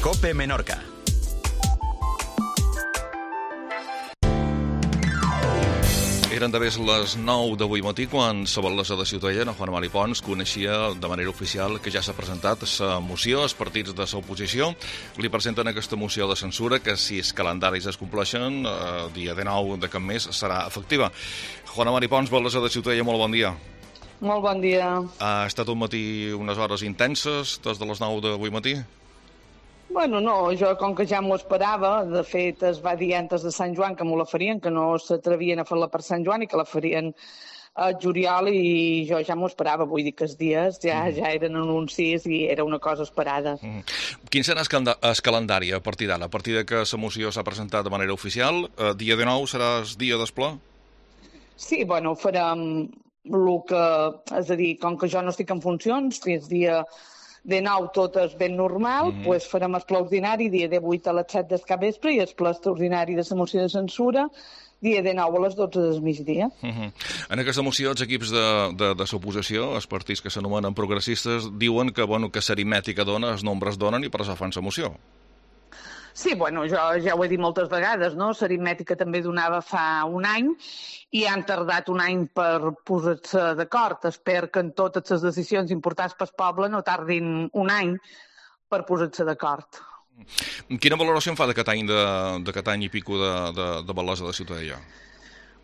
COPE Menorca. Eren d'haver les 9 d'avui matí quan l'alcalde de Ciutadella, Juan Mari Pons, coneixia de manera oficial que ja s'ha presentat la moció als partits de l'oposició. Li presenten aquesta moció de censura que, si els calendaris es compleixen, el dia 19 de cap mes serà efectiva. Juan Mari Pons, alcalde de Ciutadella, molt bon dia. Molt bon dia. Ha estat un matí unes hores intenses des de les 9 d'avui matí? Bueno, no, jo com que ja m'ho esperava, de fet es va dir antes de Sant Joan que m'ho la farien, que no s'atrevien a fer-la per Sant Joan i que la farien a juliol, i jo ja m'ho esperava, vull dir que els dies ja eren anuncis i era una cosa esperada. Quin serà el calendari a partir d'ara? A partir de que la moció s'ha presentat de manera oficial, dia 19 serà el dia del ple? Sí, bueno, farem el que... És a dir, com que jo no estic en funcions, fins dia de 9 tot és ben normal, doncs farem el ple ordinari dia de 8 a les 7 del capvespre i el ple extraordinari de la moció de censura dia de 9 a les 12 del migdia. En aquesta moció, els equips de l'oposició, els partits que s'anomenen progressistes, diuen que, que l'aritmètica dona, els nombres donen i per això fan la moció. Sí, bueno, jo ja ho he dit moltes vegades, no? L'aritmètica també donava fa un any i han tardat un any per posar-se d'acord. Espero que en totes les decisions importants pel poble no tardin un any per posar-se d'acord. Quina valoració en fa d'aquest any i pico de Balasa de Ciutadella?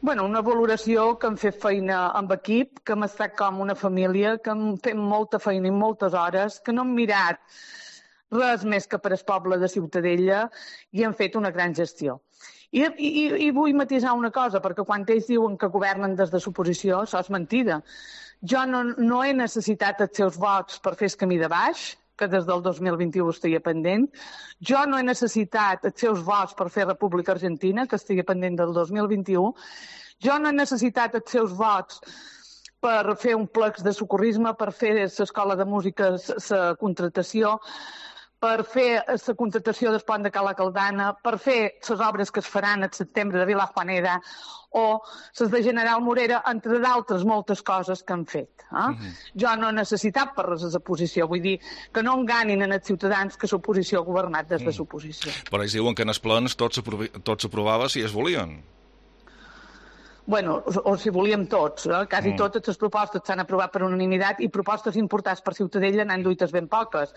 Bueno, una valoració que hem fet feina amb equip, que hem estat com una família, que hem fet molta feina i moltes hores, que no hem mirat res més que per al poble de Ciutadella i han fet una gran gestió. I vull matisar una cosa, perquè quan ells diuen que governen des de l'oposició, això és mentida. Jo no he necessitat els seus vots per fer el camí de baix, que des del 2021 estigui pendent. Jo no he necessitat els seus vots per fer República Argentina, que estigui pendent del 2021. Jo no he necessitat els seus vots per fer un plex de socorrisme, per fer l'escola de música, la contratació, per fer la contratació del pont de Cala Caldana, per fer les obres que es faran al setembre de Vilajuanera o les de General Morera, entre d'altres moltes coses que han fet. Jo no he necessitat per res de l'oposició, vull dir que no enganin en els ciutadans que l'oposició ha governat des de l'oposició. Però ells diuen que en els plans tot s'aprovava si es volien. Bueno, o si volíem tots, quasi totes les propostes s'han aprovat per unanimitat i propostes importants per Ciutadella n'han duites ben poques.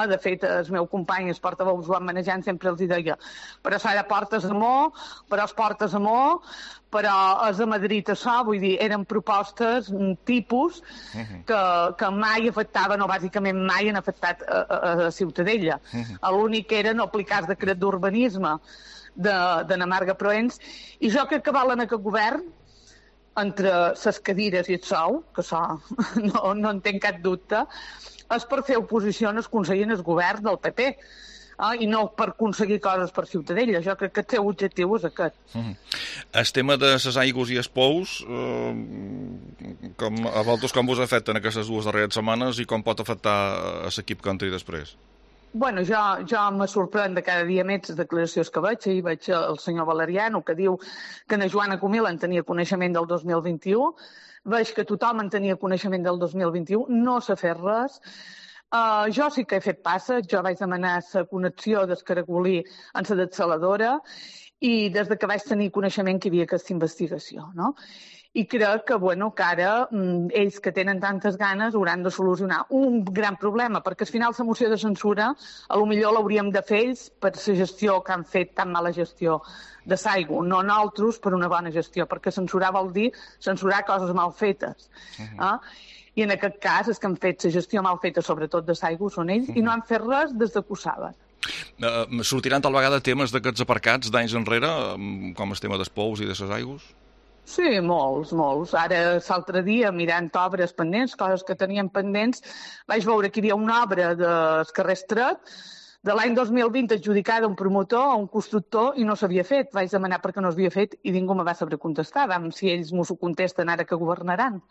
De fet, el meu company, el portaveu Joan Manejant, sempre els deia però s'ha portes amor, però es portes amor, però és a Madrid això, vull dir, eren propostes tipus que mai afectaven, o bàsicament mai han afectat a Ciutadella. L'únic era no aplicar el decret d'urbanisme de Namarga Proens, i jo crec que valen aquest govern entre les cadires i el sou, que això no en tinc cap dubte, és per fer oposició en el Consell i en el govern del PP, i no per aconseguir coses per Ciutadella. Jo crec que el seu objectiu és aquest. El tema de les aigües i els pous, a vosaltres com us afecten aquestes dues darreres setmanes i com pot afectar l'equip que entri després? Bueno, jo me sorprèn de cada dia més les declaracions que veig. Ahir veig el senyor Valeriano, que diu que na Joana Comil en tenia coneixement del 2021. Veig que tothom en tenia coneixement del 2021. No s'ha fet res. Jo sí que he fet passes. Jo vaig demanar la connexió del Caracolí en la dessaladora i des que vaig tenir coneixement que hi havia aquesta investigació, no? I crec que ara ells que tenen tantes ganes hauran de solucionar un gran problema, perquè al final la moció de censura potser l'hauríem de fer ells per la gestió que han fet, tan mala gestió de l'aigua, no nosaltres per una bona gestió, perquè censurar vol dir censurar coses mal fetes. I en aquest cas és que han fet la gestió mal feta, sobretot de l'aigua, són ells, i no han fet res des que ho saben. Sortiran tal vegada temes d'aquests aparcats d'anys enrere, com el tema dels pous i de les aigües? Sí, molts. Ara, l'altre dia, mirant obres pendents, coses que teníem pendents, vaig veure que hi havia una obra del carrer Estret de l'any 2020 adjudicada a un promotor, a un constructor, i no s'havia fet. Vaig demanar per què no s'havia fet i ningú me va saber contestar. Si ells m'ho contesten ara que governaran.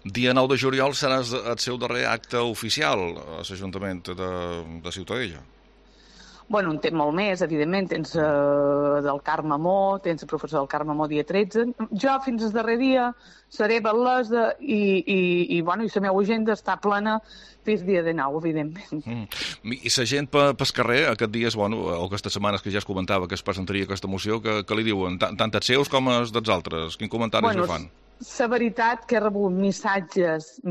Dia 9 de juliol serà el seu darrer acte oficial a l'Ajuntament de Ciutadella. Bueno, en té molt més, evidentment. Tens del Carme Mó, tens el professor del Carme Mó dia 13. Jo fins al darrer dia seré batllessa i la meva agenda està plena fins dia de 9, evidentment. I la gent pel carrer, aquests dies, o aquestes setmanes que ja es comentava que es presentaria aquesta moció, que li diuen? Tant els seus com els dels altres? Quin comentari li fan? La veritat que he rebut missatges,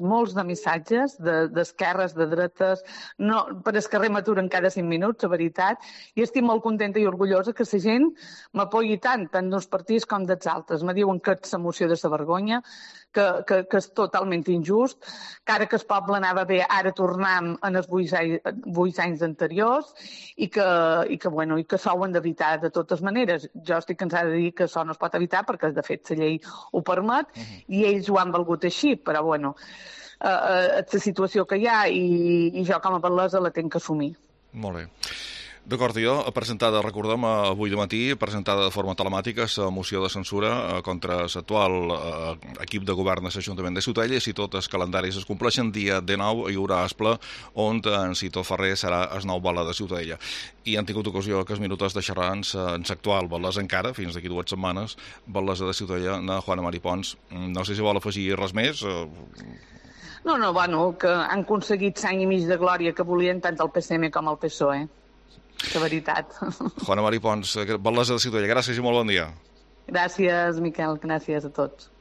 molts de missatges, d'esquerres, de dretes, per el carrer m'aturen cada 5 minuts, la veritat, i estic molt contenta i orgullosa que la gent m'apoyi tant d'uns partits com dels altres. Me diuen que és la moció de la vergonya, que és totalment injust, que ara que el poble anava bé, ara tornem en els 8 anys anteriors i que s'ho han d'evitar de totes maneres. Jo estic cansada de dir que això no es pot evitar perquè, de fet, la llei ho permet i ells ho han valgut així, però, la situació que hi ha i jo com a batllessa la tinc que assumir. Molt bé. D'acord, jo, recordem avui de matí, presentada de forma telemàtica la moció de censura contra l'actual equip de govern de l'Ajuntament de Ciutadella, i si tots els calendaris es compleixen, dia 19 hi haurà asple on en Cito Ferrer serà el nou batlle de Ciutadella. I han tingut ocasió que els minuts de xerrar en l'actual batllessa encara, fins d'aquí 2 setmanes, batllessa de Ciutadella, Juana Mari Pons. No sé si vol afegir res més. No, que han aconseguit 1 any i mig de glòria que volien tant el PSM com el PSOE. La veritat. Juana Mari Pons, batllessa de Ciutadella, gràcies i molt bon dia. Gràcies, Miquel, gràcies a tots.